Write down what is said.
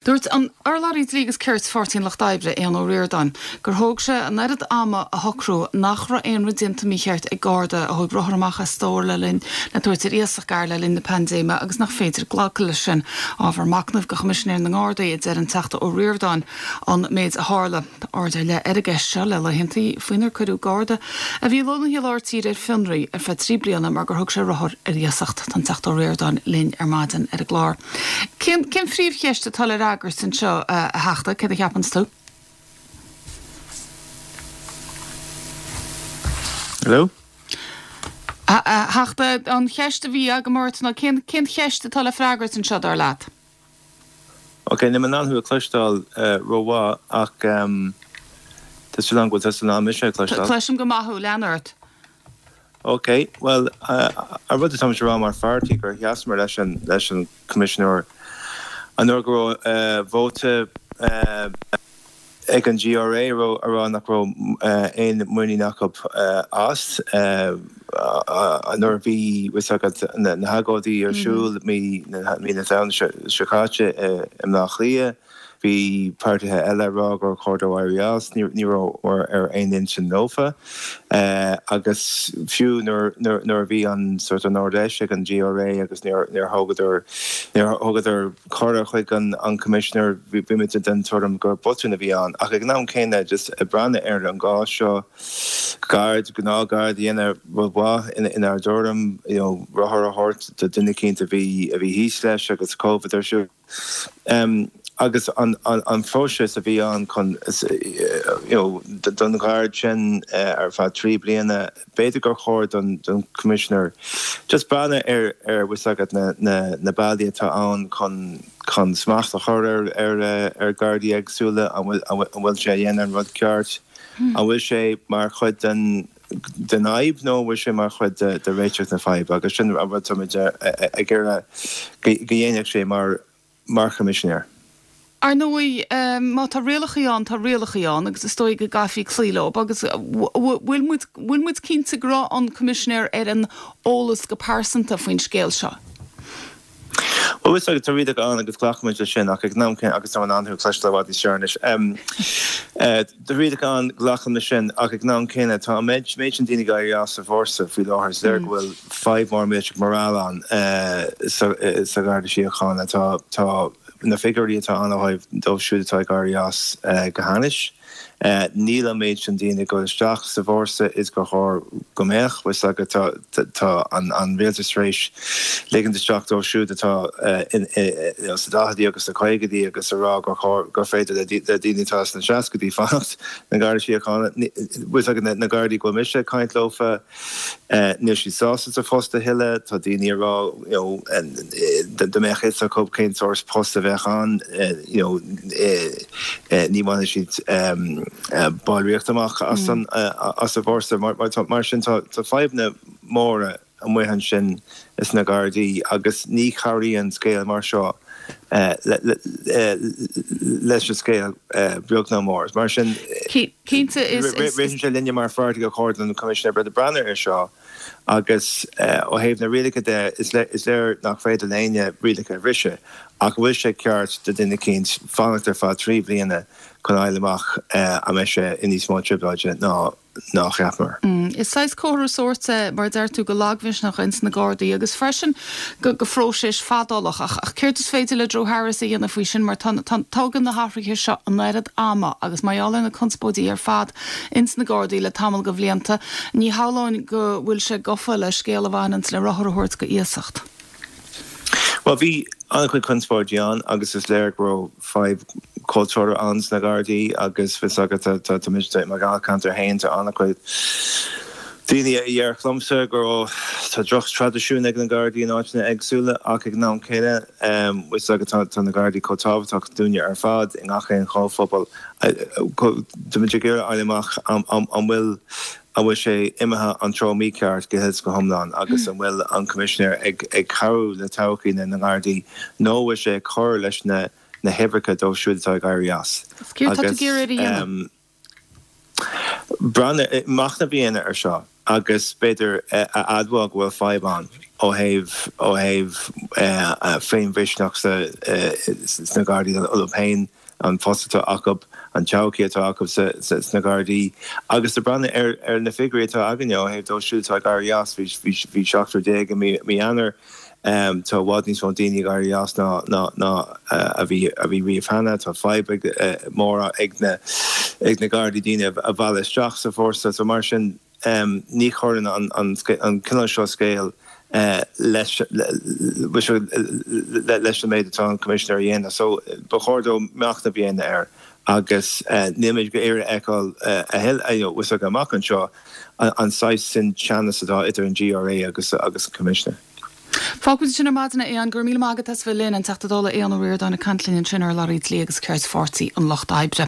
Dúirt an urlabhraí Dlí agus Cirt Pháirtí an Lucht Oibre, Aodhán Ó Ríordáin, gur thóg sé an oiread ama a shocrú nach raibh aon rud déanta mícheart ag Garda a thóg rothar amach as stór le linn le tabhairt ar iasacht gar le linn na paindéime agus nach féidir glacadh leis sin. Ábhar machnaimh do Choimisinéir na nGardaí, a deir an Teachta Ó Ríordáin, an méid a tharla. Tá aird ar leith ar an gceist seo le laethantaí faoinar cuireadh Garda a bhí lonnaithe i lár tíre ar fionraí ar feadh 3 bliana mar gur thug sé rothar ar iasacht. Tá an Teachta Ó Ríordáin linn ar maidin ar an gclár. Cén cén phríomhcheist atá le fhreagairt anseo, a Theachta, céard a cheapanns tú? Hello? A Theachta, an cheist a bhí agam ort ná cén cén cheist atá le freagairt anseo, dar leat? Ok, níl mé in ann thú a chloisteáil rómhaith ach tá súil agam go bhfuil tusa in ann mise a chloisteáil. Cloisim go maith thú, lean ort. Ok, bhuel, an rud atáimid a rá mar pháirtí gur sheasamar leis an leis an Coimisinéir an uair go raibh vóta ag an GRA a rá nach raibh aon muinín acu as. Nuair a bhí fhios agat na hagóidí ar siúl mí na Samhna seo caite i mBleá Cliath, bhí páirtithe eile ag rá gur chóir dó éirí as. Ní rabhamar ar aon intinn leofa. Agus fiú nuair a bhí an sort an Ard-Fheis ag an GRA agus níor thugadar níor thugadar cuireadh chuig an Coimisinéir, bhí muid den tuairim gur botún a bhí ann. Ach ag an am céanna, just ag breathnú ar an gcás seo, gard, gnáthgharda a dhéanamh rud mhaith inár dtuairim, you know, rothar a thabhairt do duine eicínt a bhí a bhí thíos leis agus Covid ar siúl. Agus an an phróiseas a bhí ann chun, you know, don ghard sin ar feadh 3 bliana, B'fhéidir gur chóir don Choimisinéir just breathnú ar ar bhfuil fhios agat na na na bealaí atá ann chun chun smacht a chur ar ar ar Ghardaí éagsúla, an bhfuil an bhfuil sé a dhéanamh an rud ceart, an bhfuil sé mar chuid den den fhadhb nó an bhfuil sé mar chuid de de réiteach na faidhbe agus sin an rud táimid ag iarraidh go go dhéanfadh sé mar mar Choimisinéir. Ar ndóigh, má tá rialachaí ann, tá rialachaí ann agus is dóigh go gcaithfí cloí leo. Agus bhfuil muid, bhfuil muid cinnte go raibh an Coimisinéir ar an eolas go pearsanta faoin scéal seo? Bhuel, tá rialacha ann agus glacaimid leis sin ach ag an am céanna, agus tá mé in ann thú a chloisteáil i bhfad níos fearr anois. Tá rialacha ann, glacaim leis sin, ach ag an am céanna tá an méid sin daoine ag éirí as sa bhfórsa faoi láthair. Is léir go bhfuil fadhb mhór millteach morale ann sa Gharda Síochána. Tá tá na figiúirí atá ann ó thaobh dóibh siúd atá ag éirí as go hainnis. Níl an méid sin daoine ag dul isteach sa bhfórsa is gur chóir go mbeadh. Bhfuil fhios agat tá tá an rialtas tar éis ligint isteach dóibh siúd atá sna daichidí agus sna caogaidí agus a rá gur chóir gur féidir le daoine atá sna seascaidí fanacht sna Gardaí Síochána. Bhfuil fhios agat na Gardaí go bhfuil mise ag caint leofa, níl siad sásta sa phost a thuilleadh. Tá daoine ag rá you know dá mbeadh fhios acu cén sórt post a bheadh ann you know ní bhainfeadh siad ballraíocht amach as an as an bhfórsa. Mar sin tá fadhbanna móra amuigh ansin sna Gardaí agus ní chabhraíonn scéal mar seo leis an scéal beag ná mór. Mar sin, ritheann sé linne mar pháirtí gur chóir don Choimisinéir breathnú air seo agus ó thaobh na rialacha de, is léir nach féidir le éinne rialacha a bhriseadh ach an bhfuil sé ceart do duine eicínt fanacht ar feadh 3 bliana chun fháil amach an mbeidh sé i níos mó trioblóide ná ná a cheapamar. Is saghas comhartha sóirt é, mar a deir tú, go lagmhisneach ins na Gardaí agus freisin go phróiseas fadálach. Ach céard is féidir le Drew Harris a dhéanamh faoi sin mar tá, tógann na hathruithe seo an oiread ama agus mar gheall ar na conspóidí ar fad ins na Gardaí le tamall go bhlianta, ní shamhlóinn go bhfuil sé gafa le scéal a bhaineanns le rothar a thabhairt go iasacht. Bhuel, bhí an-chuid conspóidí ann agus is léir go raibh fadhb cultúrtha ann sna Gardaí agus fios agat tá mise i mo dháilcheantar féin tá an-chuid daoine a déarfadh liomsa go raibh tá droch-traidisiún ag na Gardaí in áiteanna éagsúla ach ag an am céanna fios agat tá na Gardaí chomh tábhachtach dúinne ar fad i ngach aon chomhphobal. Tá muid ag iarraidh a fháil amach an bhfuil An bhfuil sé imithe an treo mícheart go huile is go hiomlán agus an bhfuil an Coimisinéir ag cabhrú le todhchaí na nGardaí nó an bhfuil sé ag cur leis na huimhreacha dóibh siúd atá ag éirí as? Céard atá tú ag iarraidh a dhéanamh? Breathnú, machnamh a dhéanamh ar seo. Agus b'fhéidir a admháil go bhfuil fadhb ann ó thaobh ó thaobh féinmhisneach sna Gardaí leo féin, an post atá acu, an todhchaí atá acu sna Gardaí. Agus ag breathnú ar na figiúirí atá againne ó thaobh dóibh siúd atá ag éirí as, bhí 17 i mí Eanáir, tá i bhfad níos mó daoine ag éirí as ná ná a bhí a bhí riamh cheana. Tá fadhb mór ag na ag na Gardaí daoine a mhealladh isteach sa bhfórsa. So mar sin, Ní chuireann an cineál seo scéil leis leis an méid atá an Coimisinéir a dhéanamh so ba chóir dó machnamh a dhéanamh air agus níl mé ag iarraidh a fheiceáil a thuilleadh amach anseo an saghas sin teannas atá idir an GRA agus an Coimisinéir. Fágfaimid ansin ar maidin é, a Aodháin. Go raibh míle maith agat as bheith linn. An Teachta Dála Aodhán Ó Ríordáin ag caint linn ansin ar urlabhraí Dlí agus Cirt Pháirtí an Lucht Oibre.